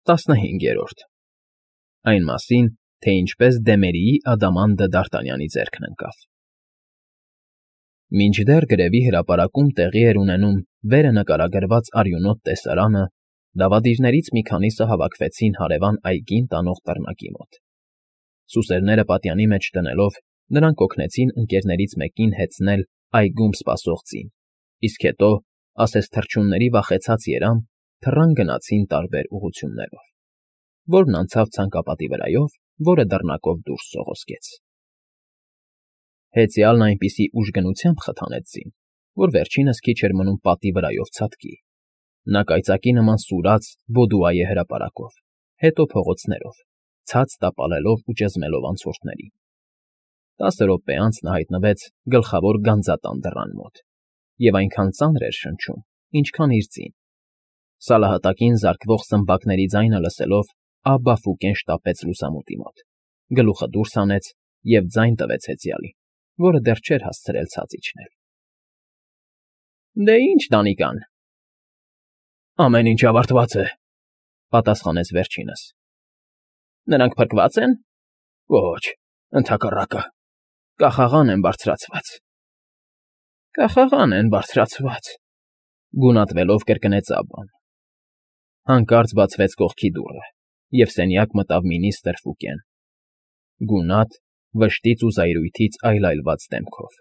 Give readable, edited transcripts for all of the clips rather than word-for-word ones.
15-րդ Այն մասին, թե ինչպես Դեմերիի ադամանդը Դ'Արտանյանի ձեռքն ընկավ։ Մինչդեռ գրևի հրապարակում տեղի էր ունենում վերը նկարագրված արյունոտ տեսարանը, դավադիրներից մի քանիսը հավաքվեցին հարևան այգին տանող դռնակի մոտ։ Սուսերները պատյանի մեջ դնելով, նրանք օգնեցին ընկերներից մեկին հեծնել այգում սպասող ձին, իսկ հետո, ասես թռչունների վախեցած երամ, թռան գնացին տարբեր ուղղություններով, որն անցավ ցանկապատի վրայով, որը դռնակով դուրս սողոսկեց։ Հեծյալն այնպիսի ուժգնությամբ խթանեց ձին, որ վերջինս քիչ էր մնում պատի վրայով ցատկի։ Նա կայծակի նման սուրաց Բոդուայե հրապարակով, հետո փողոցներով, ցած տապալելով ու ճզմելով անցորդներին։ 10 րոպե անց նա հայտնվեց գլխավոր գանձատան դռան մոտ, և այնքան ծանր էր շնչում, ինչքան իր ձին։ Սալահատակին զարկվող սմբակների ձայնը լսելով, Աբբա Ֆուկեն շտապեց լուսամուտի մոտ, գլուխը դուրս հանեց և ձայն տվեց հեծյալին, որը դեռ չէր հասցրել ցած իջնել։ ֊ Դե ինչ, Դանիկան։ Ամեն ինչ ավարտված է, պատասխանեց վերջինս։ Նրանք փրկվա՞ծ են։ Ոչ, ընդհակառակը, կախաղան են բարձրացված։ Կախաղան են բարձրացված, գունատվելով կրկնեց Աբբան։ Հանկարծ բացվեց կողքի դուռը, և սենյակ մտավ մինիստր Ֆուկեն, գունատ, վշտից ու զայրույթից այլայլված դեմքով։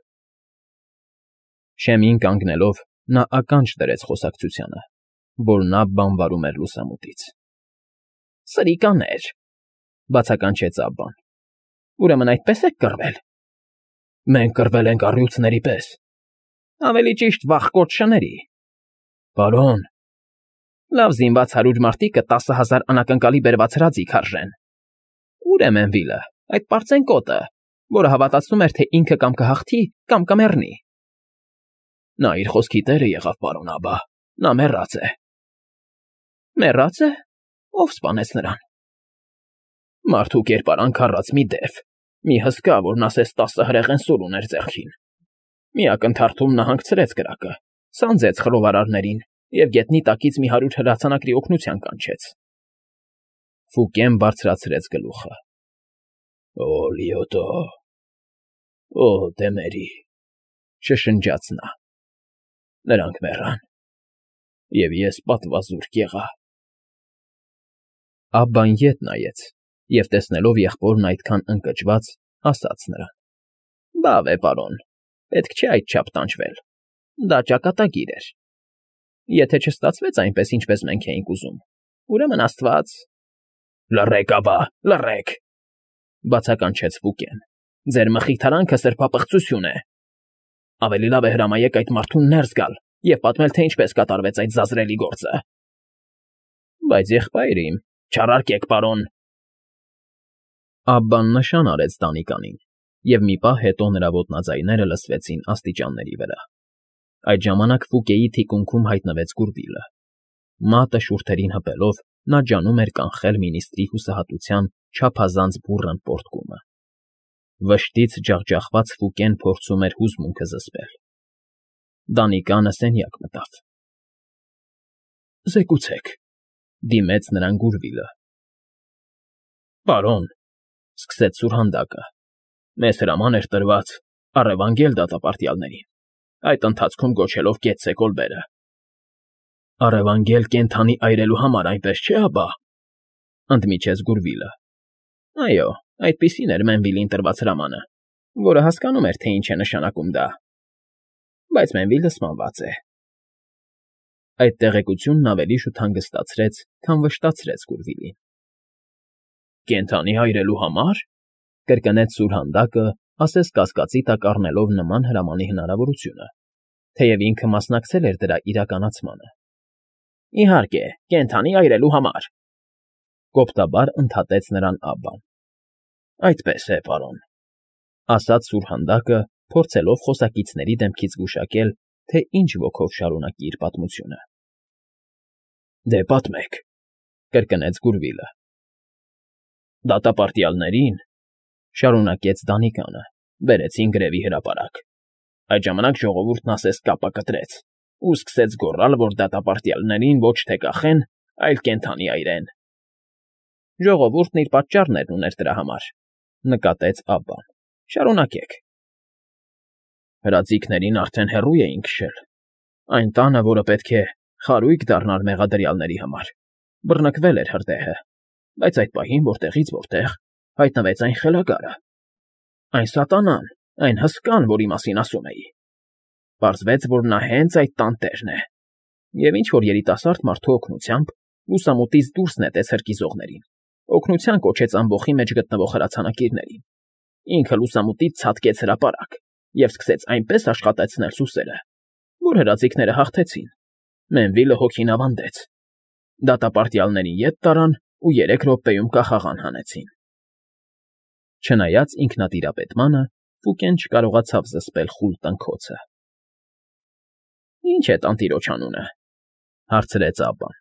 Շեմին կանգնելով, նա ականջ դրեց խոսակցությանը, որն Աբբան վարում էր լուսամուտից։ Սրիկաներ, բացականչեց Աբբան։ Ուրեմն այդպես եք կռվել։ Մենք կռվել ենք առյուծների պես։ Ավելի ճիշտ վախկոտ շների։ Պարոն։ Լավ զինված 100 մարդիկը 10,000 անակնկալի բերված հրաձի քարժեն։ Ուր է Մենվիլը, այդ պարծենկոտը, որը հավատացնում էր, թե ինքը կամ կհաղթի, կամ կմեռնի։ Նա իր խոսքի տերը եղավ, պարոն Աբբա, նա մեռած է։ Մեռած է։ Ո՞վ սպանեց նրան։ Մարդու կերպարանք առած մի դև, մի հսկա, որն ասես 10 հրեղեն սուր ուներ ձեռքին։ Մի ակնթարթում նա հանգցրեց կրակը, սանձեց խռովարարներին և գետնի տակից մի 100 հրացանակրի օգնության կանչեց։ Ֆուկեն բարձրացրեց գլուխը։ Օ, Լիոտո, օ, Դեմերի, շշնջաց նա։ Նրանք մեռան, և ես պատվազուրկ եղա։ Աբբան ետ նայեց, և տեսնելով եղբորն այդքան ընկճված, ասաց նրան. Բավ է, պարոն, պետք չէ այդչափ տանջվել, դա ճակատագիր էր։ Եթե չստացվեց այնպես, ինչպես մենք էինք ուզում, ուրեմն Աստված… Լռեք, Աբբա, լռեք, բացականչեց Ֆուկեն։ Ձեր մխիթարանքը սրբապղծություն է։ Ավելի լավ է հրամայեք այդ մարդուն ներս գալ և պատմել, թե ինչպես կատարվեց այդ զազրելի գործը։ Բայց եղբայր իմ, չարարկեք, պարոն։ Աբբան նշան արեց Դանիկանին, և մի պահ հետո նրա ոտնաձայները լսվեցին աստիճանների վրա։ Այդ ժամանակ Ֆուկեի թիկունքում հայտնվեց Գուրվիլը։ Մատը շուրթերին հպելով, նա ջանում էր կանխել մինիստրի հուսահատության չափազանց բուռն պոռթկումը։ Վշտից ջախջախված Ֆուկեն փորձում էր հուզմունքը զսպել։ Դանիկանը սենյակ մտավ։ Զեկուցեք, դիմեց նրան Գուրվիլը։ Պարոն, սկսեց սուրհանդակը, մեզ հրաման էր տրված առևանգել դատապարտյալներին, այդ ընթացքում գոչելով կեցցե կոլբերը։ Առևանգել կենդանի այրելու համար, այնպես չէ, Աբբա, ընդմիջեց Գուրվիլը։ Այո, այդպիսին էր Մենվիլին տրված հրամանը, որը հասկանում էր, թե ինչ է նշանակում դա։ Բայց Մենվիլը սպանված է։ Այդ տեղեկությունն ավելի շուտ հանգստացրեց, քան վշտացրեց Գուրվիլին։ Կենդանի այրելու համար, կրկնեց սուրհանդակը, ասես կասկածի տակ առնելով նման հրամանի հնարավորությունը, թեև ինքը մասնակցել էր դրա իրականացմանը։ Իհարկե, կենդանի այրելու համար, կոպտաբար ընդհատեց նրան Աբբան։ Այդպես է, պարոն, ասաց սուրհանդակը, փորձելով խոսակիցների դեմքից գուշակել, թե ինչ ոգով շարունակի իր պատմությունը։ Դե պատմեք, կրկնեց Գուրվիլը։ Դատապարտյալներին, շարունակեց Դանիկանը, բերեցին գրևի հրապարակ։ Այդ ժամանակ ժողովուրդն ասես կապա կտրեց ու սկսեց գոռալ, որ դատապարտյալներին ոչ թե կախեն, այլ կենդանի այրեն։ Ժողովուրդն իր պատճառներն ուներ դրա համար,֊ նկատեց Աբբան։ Շարունակեք։ Հրաձիգներին արդեն հեռու էին քշել։ Այն տանը, որը պետք է խարույկ դառնար մեղադրյալների համար, բռնկվել էր հրդեհը, բայց այդ պահին որտեղից որտեղ հայտնվեց այն խելագարը, այն սատանան, այն հսկան, որի մասին ասում էի։ Պարզվեց, որ նա հենց այդ տան տերն է, և ինչ-որ երիտասարդ մարդու օգնությամբ լուսամուտից դուրս նետեց հրկիզողներին, օգնության կոչեց ամբոխի մեջ գտնվող հրացանակիրներին, ինքը լուսամուտից ցատկեց հրապարակ և սկսեց այնպես աշխատեցնել սուսերը, որ հրաձիգները հաղթեցին, Մենվիլը հոգին ավանդեց, դատապարտյալներին ետ տարան ու 3 րոպեում կախաղան հանեցին։ Չնայած ինքնատիրապետմանը, Ֆուկեն չկարողացավ զսպել խուլ տնքոցը։ Ի՞նչ է տանտիրոջ անունը,֊ հարցրեց Աբբան։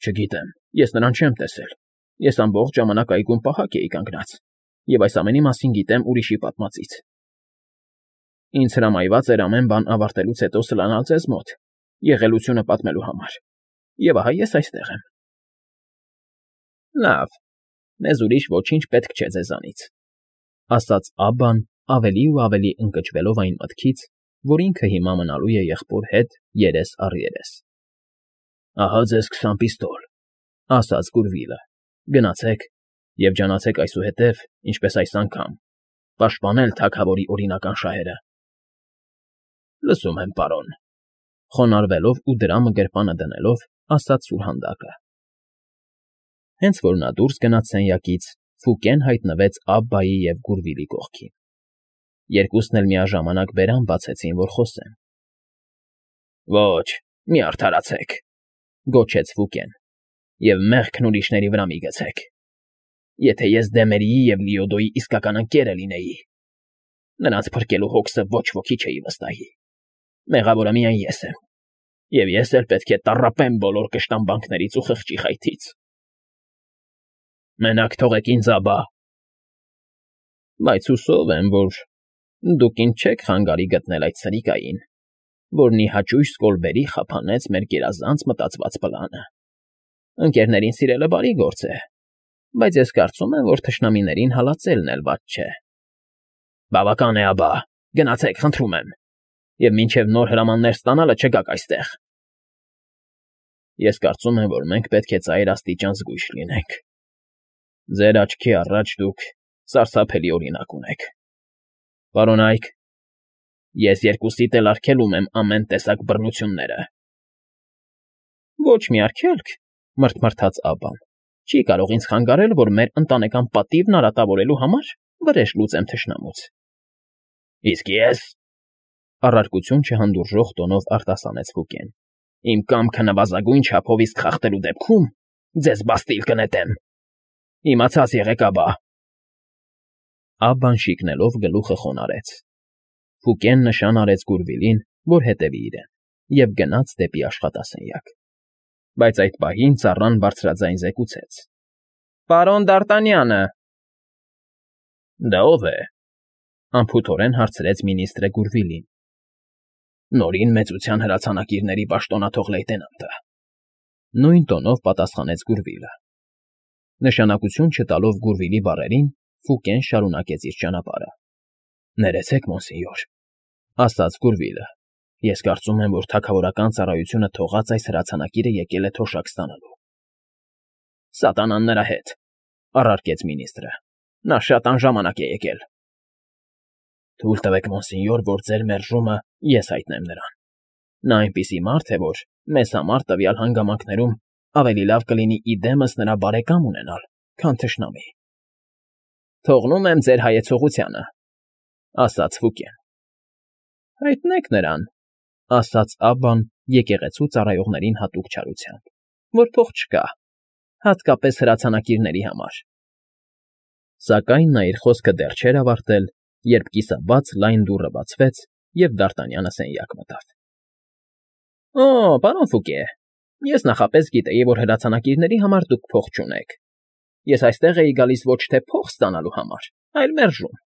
Չգիտեմ, ես նրան չեմ տեսել։ Ես ամբողջ ժամանակ այգում պահակ էի կանգնած, և այս ամենի մասին գիտեմ ուրիշի պատմածից։ Ինձ հրամայված էր ամեն բան ավարտելուց հետո սլանալ ձեզ մոտ, եղելությունը պատմելու համար, և ահա ես այստեղ եմ։ Լավ, մեզ ուրիշ ոչինչ պետք չէ ձեզանից,֊ ասաց Աբբան ավելի ու ավելի ընկճվելով այն մտքից, որ ինքը հիմա մնալու է եղբոր հետ երես առ երես։ Ահա ձեզ 20 պիստոլ,֊ ասաց Գուրվիլը։ Գնացեք և ջանացեք այսուհետև, ինչպես այս անգամ, պաշտպանել թագավորի օրինական շահերը։ Լսում եմ, պարոն,֊ խոնարհվելով ու դրամը գրպանը դնելով, ասաց սուրհանդակը։ Հենց որ նա դուրս գնաց սենյակից, Ֆուկեն հայտնվեց Աբբայի և Գուրվիլի կողքին։ Երկուսն էլ միաժամանակ բերան բացեցին, որ խոսեն։ Ոչ, մի արդարացեք,֊ գոչեց Ֆուկեն,֊ և մեղքն ուրիշների վրա մի գցեք։ Եթե ես Դեմերիի և Լիոդոյի իսկական ընկերը լինեի, նրանց փրկելու հոգսը ոչ ոքի չէի վստահի։ Մեղավորը միայն ես եմ, և ես էլ պետք է տառապեմ բոլոր կշտամբանքներից ու խղճի խայթից։ Մենակ թողեք ինձ, Աբբա։ Բայց հուսով եմ, որ դուք ինձ չեք խանգարի գտնել այդ սրիկային, որն ի հաճույք Սկոլբերի խափանեց մեր գերազանց մտածված պլանը։ Ընկերներին սիրելը բարի գործ է, բայց ես կարծում եմ, որ թշնամիներին հալածելն էլ վատ չէ։ Բավական է, Աբբա, գնացեք, խնդրում եմ, և մինչև նոր հրամաններ ստանալը չգաք այստեղ։ Ես կարծում եմ, որ մենք պետք է ծայր աստիճան զգույշ լինենք։ Ձեր աչքի առաջ դուք սարսափելի օրինակ ունեք։ Պարոն Այք, ես երկուսիդ էլ արգելում եմ ամեն տեսակ բռնությունները։ Ոչ մի արգելք,֊ մռթմռթաց Աբբան, չի կարող ինձ խանգարել, որ մեր ընտանեկան պատիվն արատավորելու համար վրեժ լուծեմ թշնամուց։ Իսկ ես,֊ առարկություն չհանդուրժող տոնով արտասանեց Ֆուկեն,֊ իմ կամքը նվազագույն չափով իսկ խախտելու դեպքում ձեզ բաստիլ կնետեմ։ Իմացած եղեք, Աբբա։ Աբբան շիկնելով գլուխը խոնարհեց։ Ֆուկեն նշան արեց Գուրվիլին, որ հետևի իրեն, և գնաց դեպի աշխատասենյակ։ Բայց այդ պահին ծառան բարձրաձայն զեկուցեց. Պարոն Դ'Արտանյանը։ Դա ո՞վ է,֊ անփութորեն հարցրեց մինիստրը Գուրվիլին։ Նորին մեծության հրացանակիրների պաշտոնաթող լեյտենանտը,֊ նույն տոնով պատասխանեց Գուրվիլը։ Նշանակություն չտալով Գուրվիլի բառերին, Ֆուկեն շարունակեց իր ճանապարհը։ Ներեցեք, մոնսենյոր,֊ ասաց Գուրվիլը։ Ես կարծում եմ, որ թագավորական ծառայությունը թողած այս հրացանակիրը եկել է թոշակ ստանալու։ Սատանան նրա հետ,֊ առարկեց մինիստրը։ Նա շատ անժամանակ է եկել։ Թույլ տվեք, մոնսենյոր, որ ձեր մերժումը ես հայտնեմ նրան։ Նա այնպիսի մարդ է, որ մեզ համար տվյալ հանգամանքներում ավելի լավ կլինի իդեմս նրա բարեկամ ունենալ, քան թշնամի։ Թողնում եմ ձեր հայեցողությանը,֊ ասաց Ֆուկեն։ Հայտնեք նրան,֊ ասաց Աբբան եկեղեցու ծառայողներին հատուկ չարությամբ, որ փող չկա, հատկապես հրացանակիրների համար։ Սակայն նա իր խոսքը դեռ չէր ավարտել, երբ կիսաբաց լայն դուռը բացվեց, և Դ'Արտանյանը սենյակ մտավ։ Օ, պարոն Ֆուկե, ես նախապես գիտեի, որ հրացանակիրների համար դուք փող չունեք։ Ես այստեղ էի գալիս ոչ թե փող ստանալու համար, այլ մերժում։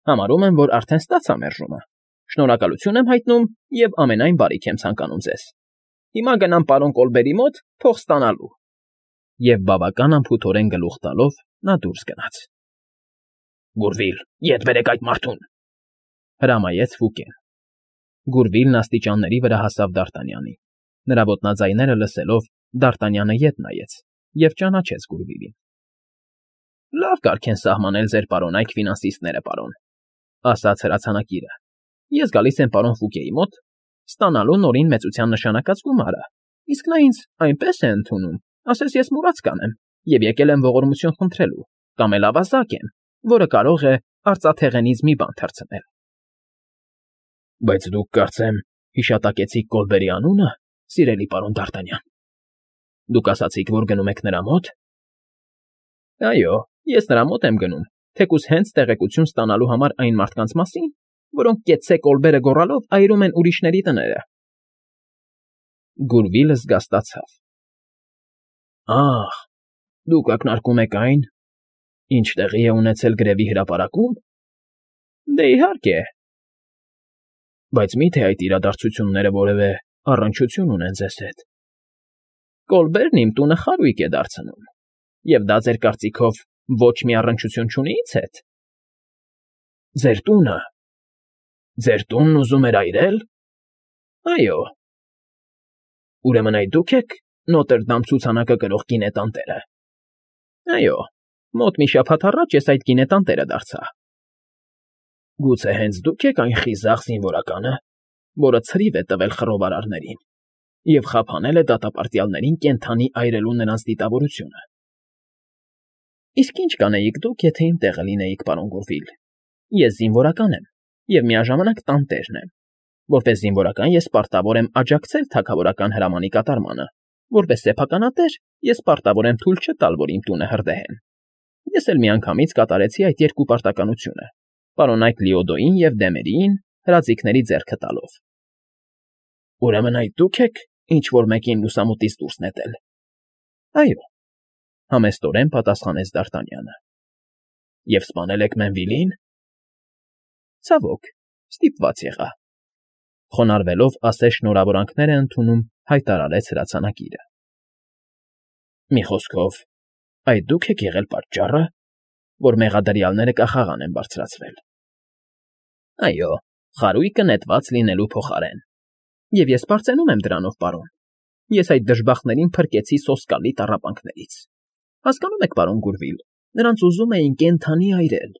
Համարում եմ, որ արդեն ստացա մերժումը։ Շնորհակալություն եմ հայտնում և ամենայն բարիք եմ ցանկանում ձեզ։ Հիմա գնամ պարոն Կոլբերի մոտ փող ստանալու։ Եվ բավական անփութորեն գլուխ տալով նա դուրս գնաց։ Գուրվիլ, ետ բերեք այդ մարդուն, հրամայեց Ֆուկեն։ Գուրվիլն աստիճանների վրա հասավ Դ'Արտանյանին։ Նրա ոտնաձայները լսելով, Դ'Արտանյանը ետ նայեց և ճանաչեց Գուրվիլին։ Լավ կարգ են սահմանել ձեր պարոնայք ֆինանսիստները, պարոն, ասաց հրացանակիրը։ Ես գալիս եմ պարոն Ֆուկեի մոտ, ստանալու նորին մեծության նշանակած գումարը, իսկ նա ինձ այնպես է ընդունում, ասես ես մուրաց կանեմ, և եկել եմ ողորմություն խնդրելու, կամ էլ ավազակ եմ, որը կարող է արծաթեղենից մի բան թռցնել։ Բայց դուք կարծեմ հիշատակեցիք Կոլբերի անունը, սիրելի պարոն Դ'Արտանյան։ Դուք ասացիք, որ գնում եք նրա մոտ։ Այո, ես նրա մոտ եմ գնում, թեկուզ հենց տեղեկություն ստանալու համար այն մարդկանց մասին, որոնք կեցցե Կոլբերը գոռալով այրում են ուրիշների տները։ Գուրվիլը զգաստացավ։ Ահ, դուք ակնարկում եք այն, ինչ տեղի է ունեցել գրևի հրապարակում։ Դե իհարկե։ Բայց մի՞թե այդ իրադարձությունները որևէ առնչություն ունեն ձեզ հետ։ Կոլբերն իմ տունը խարույկ է դարձնում, և դա ձեր կարծիքով ոչ մի առնչություն չունի ինձ հետ։ Ձեր տունը։ Ձեր տունն ուզում էր այրել։ Այո։ Ուրեմն այդ դուք եք Նոտրդամ ցուցանակը կրող գինետանտերը։ Այո, մոտ մի շաբաթ առաջ ես այդ գինետանտերը դարձա։ Գուցե հենց դուք եք այն խիզախ զինվորականը, որը ցրիվ է տվել խռովարարներին և խափանել է դատապարտյալներին կենդանի այրելու նրանց դիտավորությունը։ Իսկ ինչ կանեիք դուք, եթե իմ տեղը լինեիք, պարոն Գուրվիլ։ Ես զինվորական եմ և միաժամանակ տանտերն եմ։ Որպես զինվորական ես պարտավոր եմ աջակցել թագավորական հրամանի կատարմանը, որպես սեփականատեր ես պարտավոր եմ թույլ չտալ, որ իմ տունը հրդեհեն։ Ես էլ միանգամից կատարեցի այդ երկու պարտականությունը, պարոնայք Լիոդոյին և Դեմերիին հրաձիգների ձեռքը տալով։ Ուրեմն այդ դուք եք ինչ-որ մեկին լուսամուտից դուրս նետել։ Այո, համեստորեն պատասխանեց Դ'Արտանյանը։ Եվ սպանել եք Մենվիլին։ Ցավոք, ստիպված եղա։ Խոնարհվելով ասես շնորհավորանքներ է ընդունում, հայտարարեց հրացանակիրը։ Մի խոսքով, այդ դուք եք եղել պատճառը, որ մեղադրյալները կախաղան են բարձրացվել։ Այո, խարույկը նետված լինելու փոխարեն։ Եվ ես պարծենում եմ դրանով, պարոն։ Ես այդ դժբախտներին փրկեցի սոսկալի տառապանքներից։ Հասկանում եք, պարոն Գուրվիլ, նրանց ուզում էին կենդանի այրել,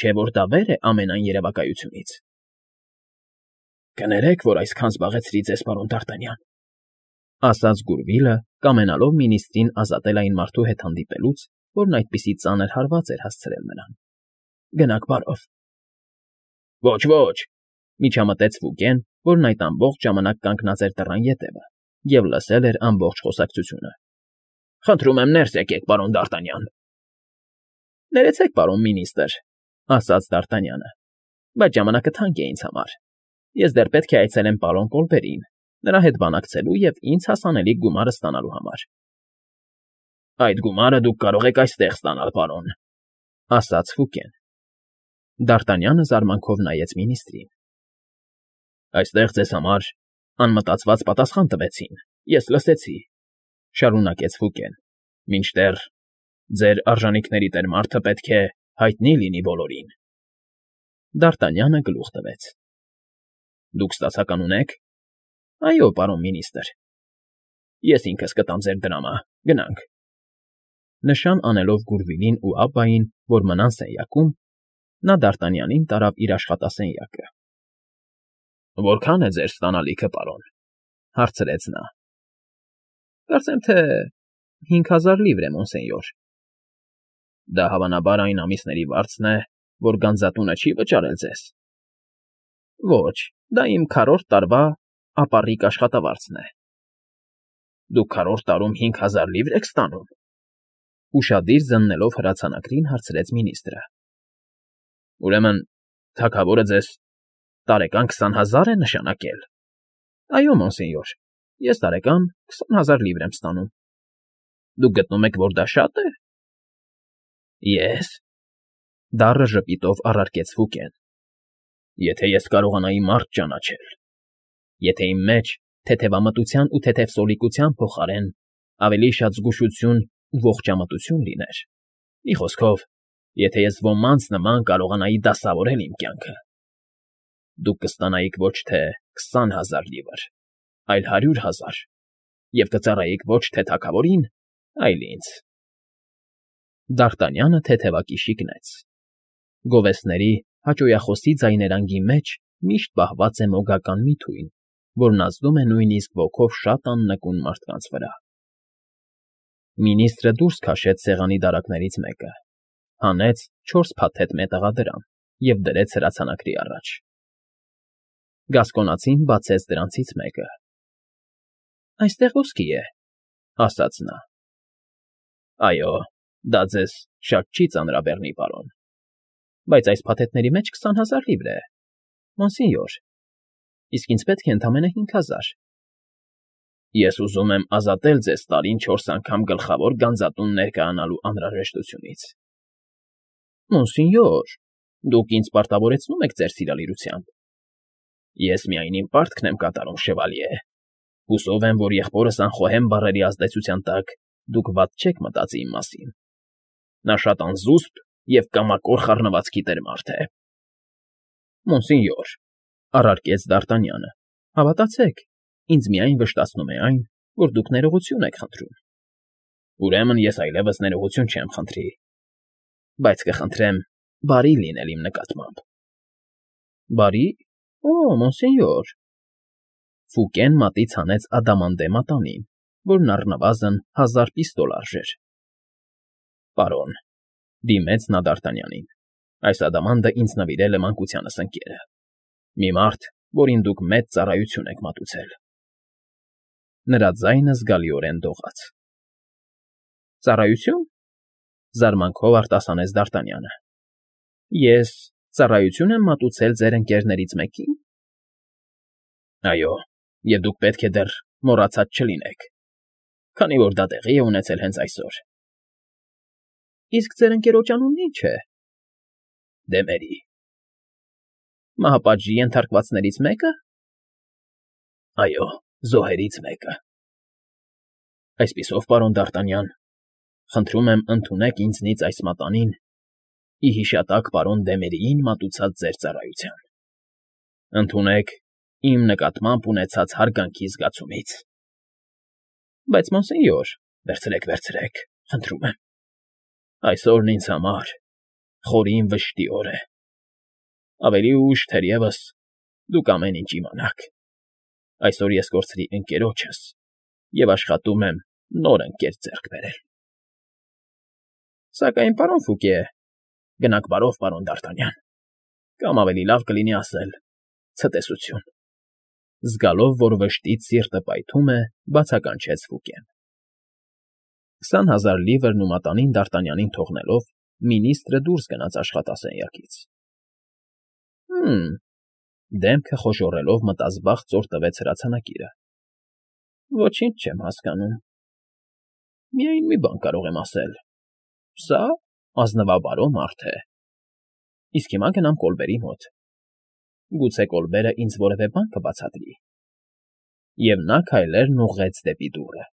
չէ՞ որ դա վեր է ամենայն երևակայությունից։ Կներեք, որ այսքան զբաղեցրի ձեզ, պարոն Դ'Արտանյան, ասաց Գուրվիլը, կամենալով մինիստրին ազատել այն մարդու հետ հանդիպելուց, որն այդպիսի ծանր հարված էր հասցրել նրան։ Գնաք բարով։ Ոչ, միջամտեց Ֆուկեն, որն այդ ամբողջ ժամանակ կանգնած էր դռան ետևը և լսել էր ամբողջ խոսակցությունը։ Խնդրում եմ ներս եկեք, պարոն Դ'Արտանյան։ Ներեցեք, պարոն մինիստր, ասաց Դ'Արտանյանը, բայց ժամանակը թանկ է ինձ համար։ Ես դեռ պետք է այցելեմ պարոն Կոլբերին, նրա հետ բանակցելու և ինձ հասանելիք գումարը ստանալու համար։ Այդ գումարը դուք կարող եք այստեղ ստանալ, պարոն, ասաց Ֆուկեն։ Դ'Արտանյանը զարմանքով նայեց մինիստրին։ Այստեղ ձեզ համար անմտածված պատասխան տվեցին, ես լսեցի, շարունակեց Ֆուկեն, մինչդեռ ձեր արժանիքների տեր մարդը պետք է հայտնի լինի բոլորին։ Դ'Արտանյանը գլուխ տվեց։ Դուք ստացական ունեք։ Այո, պարոն մինիստր։ Ես ինքս կտամ ձեր դրամը, գնանք։ Նշան անելով Գուրվիլին ու Աբբային, որ մնան սենյակում, նա Դ'Արտանյանին տարավ իր աշխատասենյակը։ Որքան է ձեր ստանալիքը, պարոն, հարցրեց նա։ Կարծեմ թե 5000 լիվր է, մոնսենյոր։ Դա հավանաբար այն ամիսների վարձն է, որ գանձատունը չի վճարել ձեզ։ Ոչ, դա իմ քառորդ տարվա ապառիկ աշխատավարձն է։ Դուք քառորդ տարում 5000 լիվր եք ստանում։ Ուշադիր զննելով հրացանակրին հարցրեց մինիստրը։ Ուրեմն թագավորը ձեզ տարեկան 20000 է նշանակել։ Այո, մոնսենյոր, ես տարեկան 20000 լիվր եմ ստանում։ Դուք գտնում եք, որ դա շատ է։ Ես դառը ժպիտով առարկեց Ֆուկեն։ Եթե ես կարողանայի մարդ ճանաչել, եթե իմ մեջ թեթևամտության ու թեթև սոլիկության փոխարեն ավելի շատ զգուշություն ու ողջամտություն լիներ։ Մի խոսքով, եթե ես ոմանց նման կարողանայի դասավորել իմ կյանքը, դուք կստանայիք ոչ թե 20,000 լիվր, այլ 100,000, և կծառայիք ոչ թե թագավորին, այլ ինձ։ Դ'Արտանյանը թեթևակի շիկնեց։ Գովեստների հաճոյախոսի ձայներանգի մեջ միշտ պահված է մոգական մի թույն, որն ազդում է նույնիսկ ոգով շատ աննկուն մարդկանց վրա։ Մինիստրը դուրս քաշեց սեղանի դարակներից մեկը, հանեց 4 փաթեթ մետաղադրամ և դրեց հրացանակրի առաջ։ Գասկոնացին բացեց դրանցից մեկը։ ֊ Այստեղ ոսկի է, ֊ ասաց նա։ ֊ Այո, դա ձեզ շատ չի ծանրաբեռնի, պարոն, բայց այս փաթեթների մեջ 20,000 լիվր է, մոնսենյոր, իսկ ինձ պետք է ընդամենը 5,000։ Ես ուզում եմ ազատել ձեզ տարին 4 անգամ գլխավոր գանձատուն ներկայանալու անհրաժեշտությունից։ Մոնսենյոր, դուք ինձ պարտավորեցնում եք ձեր սիրալիրությամբ։ Ես միայն իմ պարտքն եմ կատարում, շևալյե։ Հուսով եմ, որ եղբորս անխոհեմ բառերի ազդեցության տակ դուք վատ չեք մտածի իմ մասին։ Նա շատ անզուսպ և կամակոր խառնվածքի տեր մարդ է։ Մոնսենյոր, ֊ առարկեց Դ'Արտանյանը, ֊ հավատացեք, ինձ միայն վշտացնում է այն, որ դուք ներողություն եք խնդրում։ Ուրեմն ես այլևս ներողություն չեմ խնդրի, բայց կխնդրեմ բարի լինել իմ նկատմամբ։ Բարի՞, օ, մոնսենյոր։ Ֆուկեն մատից հանեց ադամանդե մատանին, որն առնվազն 1000 պիստոլ արժեր։ Պարոն, ֊ դիմեց նա Դ'Արտանյանին, ֊ այս ադամանդը ինձ նվիրել է մանկությանս ընկերը, մի մարդ, որին դուք մեծ ծառայություն եք մատուցել։ Նրա ձայնը զգալիորեն դողաց։ Ծառայությո՞ւն, ֊ զարմանքով արտասանեց Դ'Արտանյանը։ Ես ծառայություն եմ մատուցել ձեր ընկերներից մեկի՞ն։ Այո, և դուք պետք է դեռ մոռացած չլինեք, քանի որ դա տեղի է ունեցել հենց այսօր։ Իսկ ձեր ընկերոջ անունն ի՞նչ է։ Դեմերի։ Մահապատժի ենթարկվածներից մեկը։ Այո, զոհերից մեկը։ Այսպիսով, պարոն Դ'Արտանյան, խնդրում եմ ընդունեք ինձնից այս մատանին ի հիշատակ պարոն Դեմերիին մատուցած ձեր ծառայության։ Ընդունեք իմ նկատմամբ ունեցած հարգանքի զգացումից։ Բայց մոնսենյոր, վերցրեք, խնդրում եմ։ Այսօրն ինձ համար խորին վշտի օր է։ Ավելի ուշ, թերևս, դուք ամեն ինչ իմանաք։ Այսօր ես կորցրի ընկերոջս և աշխատում եմ նոր ընկեր ձեռք բերել։ Սակայն, պարոն Ֆուկե, գնաք բարով, պարոն Դ'Արտանյան, կամ ավելի լավ կլինի ասել՝ ցտեսություն։ Զգալով, որ վշտից սիրտը պայթում է, բացականչեց Ֆուկեն։ 20,000 լիվրն ու մատանին Դ'Արտանյանին թողնելով, մինիստրը դուրս գնաց աշխատասենյակից։ Դեմքը խոժոռելով մտազբաղ ծոր տվեց հրացանակիրը։ Ոչինչ չեմ հասկանում։ Միայն մի բան կարող եմ ասել. սա ազնվաբարո մարդ է։ Իսկ հիմա գնամ Կոլբերի մոտ։ Գուցե Կոլբերը ինձ որևէ բան կբացատրի։ Եվ նա քայլերն ուղղեց դեպի դուռը։